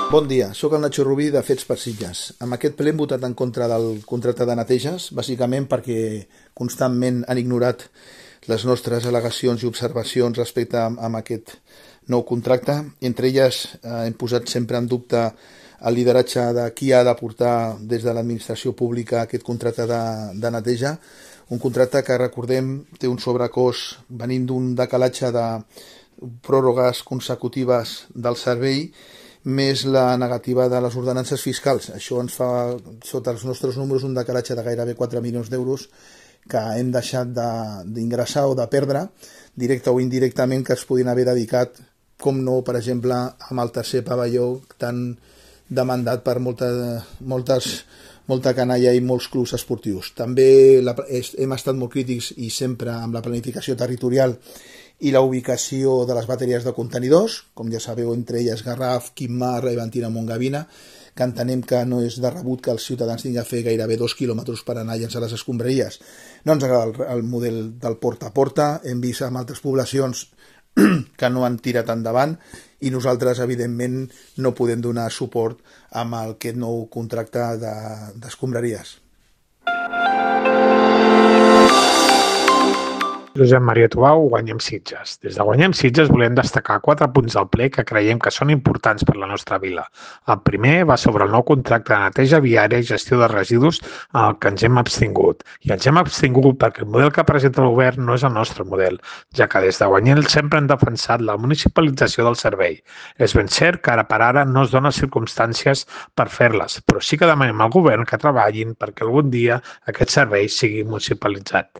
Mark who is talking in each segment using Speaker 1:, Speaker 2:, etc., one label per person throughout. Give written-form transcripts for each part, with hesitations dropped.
Speaker 1: Bon dia, sóc el Nacho Rubí de Fets per Sitges. Amb aquest ple hem votat en contra del contracte de neteges, bàsicament perquè constantment han ignorat les nostres al·legacions i observacions respecte a aquest nou contracte. Entre elles hem posat sempre en dubte el lideratge de qui ha de portar des de l'administració pública aquest contracte de neteja, un contracte que, recordem, té un sobrecost venint d'un decalatge de pròrrogues consecutives del servei, més la negativa de les ordenances fiscals. Això ens fa, sota els nostres números, un decalatge de gairebé 4 milions d'euros que hem deixat d'ingressar o de perdre, directe o indirectament, que es podien haver dedicat, com no, per exemple, amb el tercer pavelló tan demandat per molta canalla i molts clubs esportius. També hem estat molt crítics i sempre amb la planificació territorial i la ubicació de les bateries de contenidors, com ja sabeu, entre elles Garraf, Quimar, Reventina, Montgavina, que entenem que no és de rebut que els ciutadans tinguin a fer gairebé 2 quilòmetres per anar a llençar les escombraries. No ens agrada el model del porta a porta, hem vist en altres poblacions que no han tirat endavant i nosaltres, evidentment, no podem donar suport amb aquest nou contracte d'escombraries.
Speaker 2: Josep Maria Tubau, Guanyem Sitges. Des de Guanyem Sitges volem destacar 4 punts del ple que creiem que són importants per la nostra vila. El primer va sobre el nou contracte de neteja viària i gestió de residus al que ens hem abstingut. I ens hem abstingut perquè el model que presenta el govern no és el nostre model, ja que des de Guanyem sempre hem defensat la municipalització del servei. És ben cert que ara per ara no es donen circumstàncies per fer-les, però sí que demanem al govern que treballin perquè algun dia aquest servei sigui municipalitzat.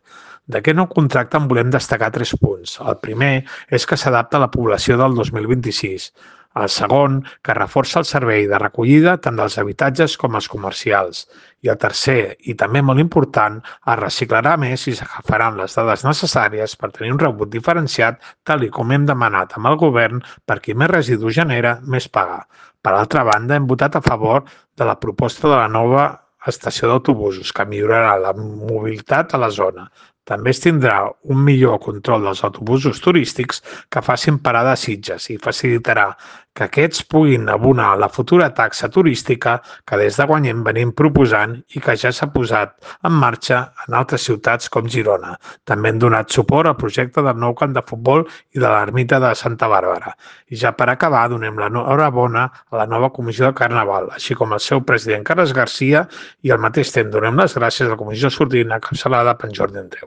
Speaker 2: D'aquest nou contracte en volem destacar 3 punts. El primer és que s'adapta a la població del 2026. El segon, que reforça el servei de recollida tant dels habitatges com els comercials. I el tercer, i també molt important, es reciclarà més i s'agafaran les dades necessàries per tenir un rebut diferenciat, tal com hem demanat amb el govern, per qui més residus genera, més paga. Per altra banda, hem votat a favor de la proposta de la nova estació d'autobusos, que millorarà la mobilitat a la zona. També es tindrà un millor control dels autobusos turístics que facin parada a Sitges i facilitarà que aquests puguin abonar la futura taxa turística que des de Guanyem venim proposant i que ja s'ha posat en marxa en altres ciutats com Girona. També hem donat suport al projecte del nou camp de futbol i de l'ermita de Santa Bàrbara. I ja per acabar, donem l'enhorabona a la nova comissió de Carnaval, així com al seu president Carles Garcia, i al mateix temps donem les gràcies a la comissió sortina encapçalada per Jordi Andreu.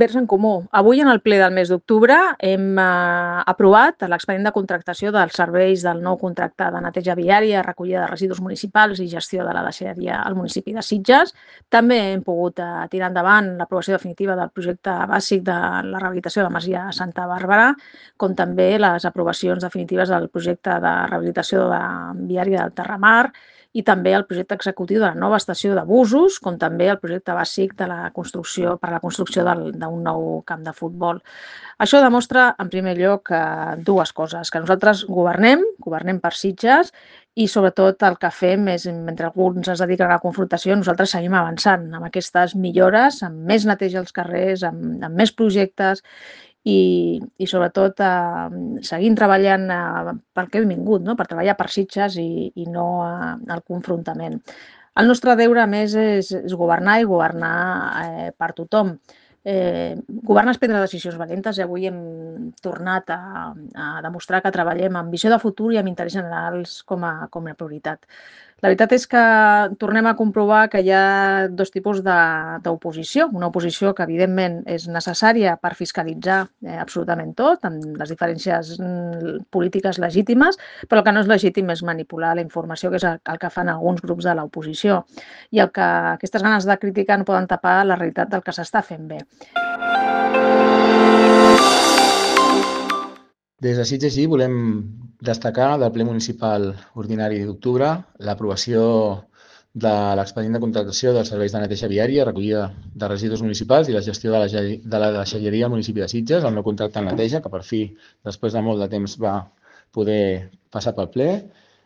Speaker 3: Verds en Comú. Avui, en el ple del mes d'octubre, hem aprovat l'expedient de contractació dels serveis del nou contracte de neteja viària, recollida de residus municipals i gestió de la deixalleria al municipi de Sitges. També hem pogut tirar endavant l'aprovació definitiva del projecte bàsic de la rehabilitació de la masia Santa Bàrbara, com també les aprovacions definitives del projecte de rehabilitació viària del Terramar, i també el projecte executiu de la nova estació de busos, com també el projecte bàsic de la construcció per a la construcció d'un nou camp de futbol. Això demostra, en primer lloc, 2 coses, que nosaltres governem per Sitges, i sobretot el que fem és, mentre alguns es dediquen a la confrontació, nosaltres seguim avançant amb aquestes millores, amb més neteja als carrers, amb més projectes, i sobretot seguint treballant pel que hem vingut, no? Per treballar per Sitges i no el confrontament. El nostre deure, a més, és governar i governar per tothom. Governar és prendre decisions valentes i avui hem tornat a demostrar que treballem amb visió de futur i amb interès generals com a prioritat. La veritat és que tornem a comprovar que hi ha 2 tipus d'oposició. Una oposició que, evidentment, és necessària per fiscalitzar absolutament tot, amb les diferències polítiques legítimes, però el que no és legítim és manipular la informació, que és el que fan alguns grups de l'oposició. I el que aquestes ganes de criticar no poden tapar la realitat del que s'està fent bé.
Speaker 4: Des de Sitges sí volem destacar del ple municipal ordinari d'octubre l'aprovació de l'expedient de contractació dels serveis de neteja viària, recollida de residus municipals i la gestió de la deixalleria al municipi de Sitges, el nou contracte de neteja, que per fi, després de molt de temps, va poder passar pel ple,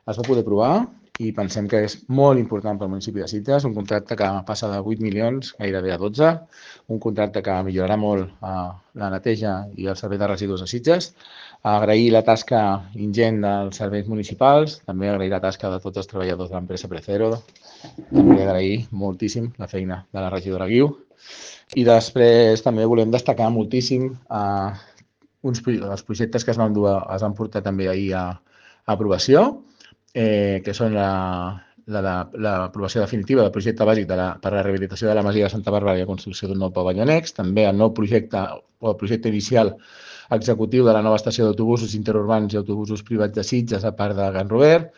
Speaker 4: es va poder aprovar i pensem que és molt important pel municipi de Sitges, un contracte que passa de 8 milions gairebé a 12, un contracte que millorarà molt la neteja i el servei de residus de Sitges. Agrair la tasca ingent dels serveis municipals, també agrair la tasca de tots els treballadors de l'empresa Precero, també agrair moltíssim la feina de la regidora Guiu. I després també volem destacar moltíssim els projectes que es van portar també ahir a aprovació, que són l'aprovació definitiva del projecte bàsic per a la rehabilitació de la masia de Santa Bàrbara i la construcció d'un nou pavelló annex, també el nou projecte o el projecte inicial executiu de la nova estació d'autobusos interurbans i autobusos privats de Sitges a part de Can Robert.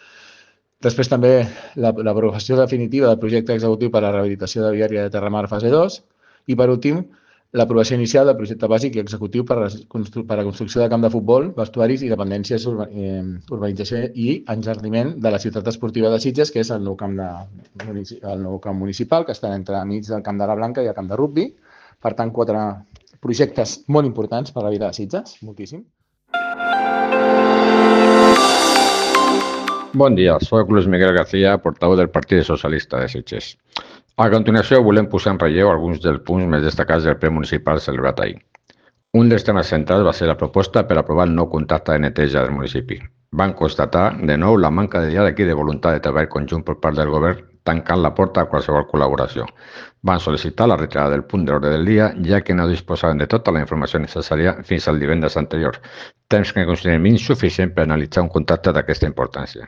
Speaker 4: Després també l'aprovació definitiva del projecte executiu per a la rehabilitació de viària de Terramar fase 2 i, per últim, l'aprovació inicial del projecte bàsic i executiu per a la construcció de camp de futbol, vestuaris i dependències, urbanització i enjardiment de la ciutat esportiva de Sitges, que és el nou camp municipal, que està entremig del camp de la Blanca i el camp de rugbi. Per tant, 4 projectes molt importants per a la vida de Sitges, moltíssim.
Speaker 5: Bon dia, soc Luis Miguel García, portaveu del Partit Socialista de Sitges. A continuació, volem posar en relleu alguns dels punts més destacats del ple municipal celebrat ahir. Un dels temes centrals va ser la proposta per aprovar el nou contracte de neteja del municipi. Van constatar, de nou, la manca de diàleg i de voluntat de treball conjunt per part del govern, tancant la porta a qualsevol col·laboració. Van sol·licitar la retirada del punt de l'ordre del dia, ja que no disposaven de tota la informació necessària fins al divendres anterior, temps que considerem insuficient per analitzar un contracte d'aquesta importància.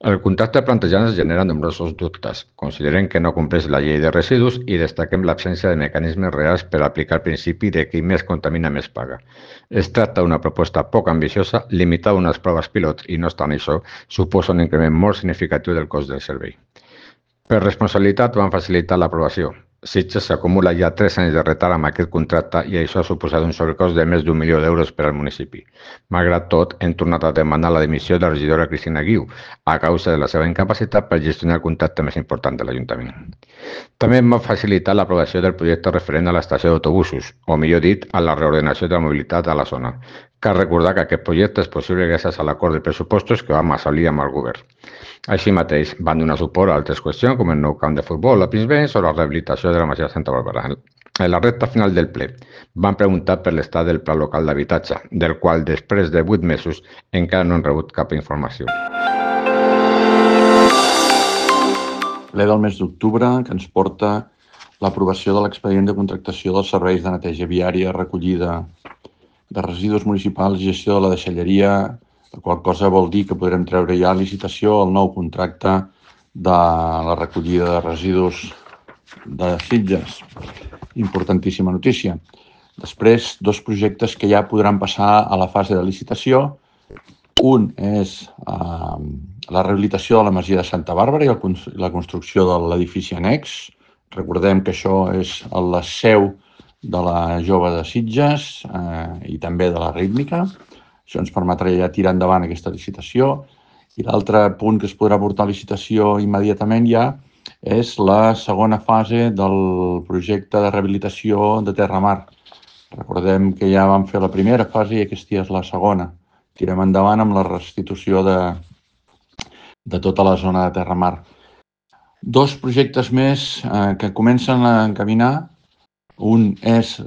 Speaker 5: El contracte plantejat ens genera nombrosos dubtes. Considerem que no compleix la llei de residus i destaquem l'absència de mecanismes reals per aplicar el principi de qui més contamina més paga. Es tracta d'una proposta poc ambiciosa, limitada a unes proves pilot i, no obstant això, suposa un increment molt significatiu del cost del servei. Per responsabilitat van facilitar l'aprovació. Sitges s'acumula ja 3 anys de retard amb aquest contracte i això ha suposat un sobrecost de més d'1 milió d'euros per al municipi. Malgrat tot, hem tornat a demanar la dimissió de la regidora Cristina Guiu a causa de la seva incapacitat per gestionar el contracte més important de l'Ajuntament. També hem facilitat l'aprovació del projecte referent a l'estació d'autobusos, o millor dit, a la reordenació de la mobilitat a la zona. Cal recordar que aquest projecte és possible gràcies a l'acord de pressupostos que vam assolir amb el govern. Així mateix, van donar suport a altres qüestions com el nou camp de futbol a Pinsbens o la rehabilitació de la masia de Santa Bàrbara. En la recta final del ple, van preguntar per l'estat del pla local d'habitatge, del qual després de 8 mesos encara no han rebut cap informació.
Speaker 6: Ple del mes d'octubre que ens porta l'aprovació de l'expedient de contractació dels serveis de neteja viària, recollida de residus municipals i gestió de la deixalleria, la qual cosa vol dir que podrem treure ja a licitació el nou contracte de la recollida de residus de Sitges. Importantíssima notícia. Després, 2 projectes que ja podran passar a la fase de licitació. Un és la rehabilitació de la masia de Santa Bàrbara i la construcció de l'edifici annex. Recordem que això és la seu de la Jove de Sitges i també de la Rítmica. Això ens permetrà ja tirar endavant aquesta licitació. I l'altre punt que es podrà portar a licitació immediatament ja és la segona fase del projecte de rehabilitació de Terramar. Recordem que ja vam fer la primera fase i aquesta és la segona. Tirem endavant amb la restitució de tota la zona de Terramar. 2 projectes més que comencen a encaminar. Un és,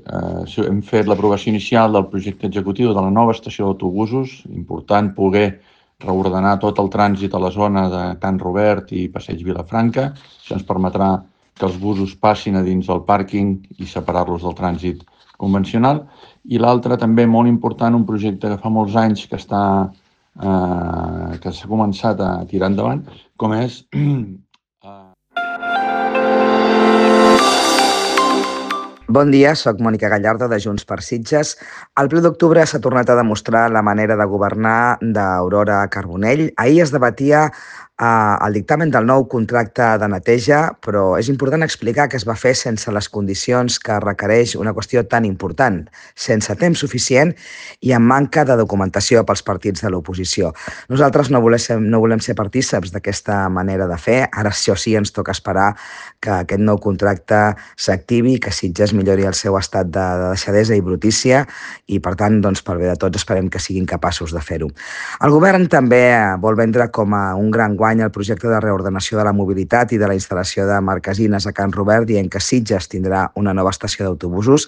Speaker 6: hem fet l'aprovació inicial del projecte executiu de la nova estació d'autobusos. Important poder reordenar tot el trànsit a la zona de Can Robert i Passeig Vilafranca. Això ens permetrà que els busos passin a dins del pàrquing i separar-los del trànsit convencional. I l'altre, també molt important, un projecte que fa molts anys que s'ha començat a tirar endavant, com és
Speaker 7: Bon dia, soc Mònica Gallardo de Junts per Sitges. El ple d'octubre s'ha tornat a demostrar la manera de governar d'Aurora Carbonell. Ahir es debatia el dictamen del nou contracte de neteja, però és important explicar que es va fer sense les condicions que requereix una qüestió tan important, sense temps suficient i amb manca de documentació pels partits de l'oposició. Nosaltres no volem ser partíceps d'aquesta manera de fer. Ara, això sí, ens toca esperar que aquest nou contracte s'activi, que Sitges millori el seu estat de deixadesa i brutícia i, per tant, pel bé de tots, esperem que siguin capaços de fer-ho. El govern també vol vendre com a un gran guany enguany el projecte de reordenació de la mobilitat i de la instal·lació de marquesines a Can Robert, dient que Sitges tindrà una nova estació d'autobusos,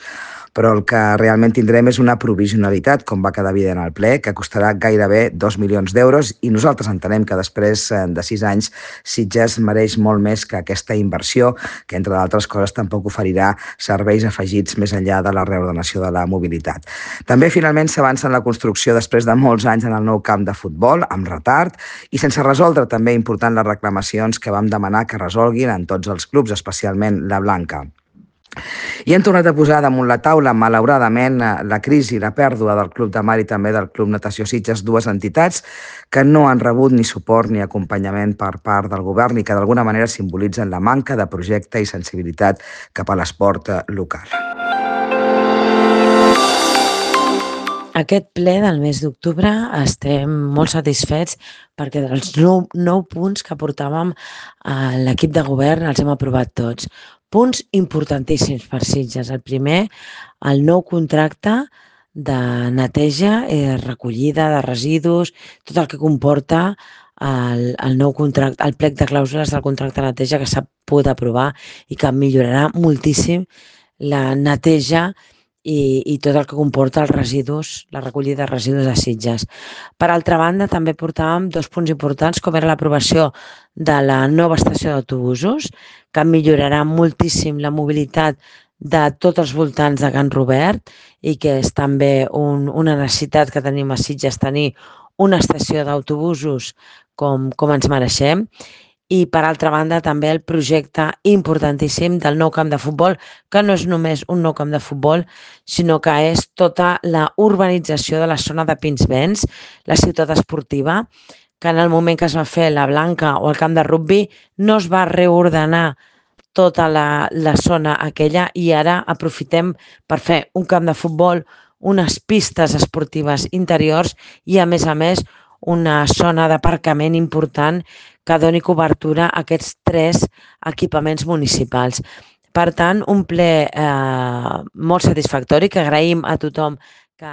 Speaker 7: però el que realment tindrem és una provisionalitat, com va quedar evident al ple, que costarà gairebé 2 milions d'euros, i nosaltres entenem que després de 6 anys Sitges mereix molt més que aquesta inversió, que entre d'altres coses tampoc oferirà serveis afegits més enllà de la reordenació de la mobilitat. També finalment s'avança en la construcció després de molts anys en el nou camp de futbol, amb retard, i sense resoldre també important les reclamacions que vam demanar que resolguin en tots els clubs, especialment la Blanca. I hem tornat a posar damunt la taula, malauradament, la crisi i la pèrdua del Club de Mar i també del Club Natació Sitges, dues entitats que no han rebut ni suport ni acompanyament per part del govern i que d'alguna manera simbolitzen la manca de projecte i sensibilitat cap a l'esport local.
Speaker 8: Aquest ple del mes d'octubre estem molt satisfets perquè dels 9 punts que portàvem a l'equip de govern els hem aprovat tots. Punts importantíssims per Sitges. El primer, el nou contracte de neteja i de recollida de residus, tot el que comporta el nou contracte, el plec de clàusules del contracte de neteja que s'ha pogut aprovar i que millorarà moltíssim la neteja i tot el que comporta els residus, la recollida de residus de Sitges. Per altra banda, també portàvem 2 punts importants, com era l'aprovació de la nova estació d'autobusos, que millorarà moltíssim la mobilitat de tots els voltants de Can Robert i que és també una necessitat que tenim a Sitges, tenir una estació d'autobusos com ens mereixem. I, per altra banda, també el projecte importantíssim del nou camp de futbol, que no és només un nou camp de futbol, sinó que és tota la urbanització de la zona de Pinsbens, la ciutat esportiva, que en el moment que es va fer la Blanca o el camp de rugbi no es va reordenar tota la zona aquella i ara aprofitem per fer un camp de futbol, unes pistes esportives interiors i, a més, una zona d'aparcament important que doni cobertura a aquests 3 equipaments municipals. Per tant, un ple molt satisfactori que agraïm a tothom que...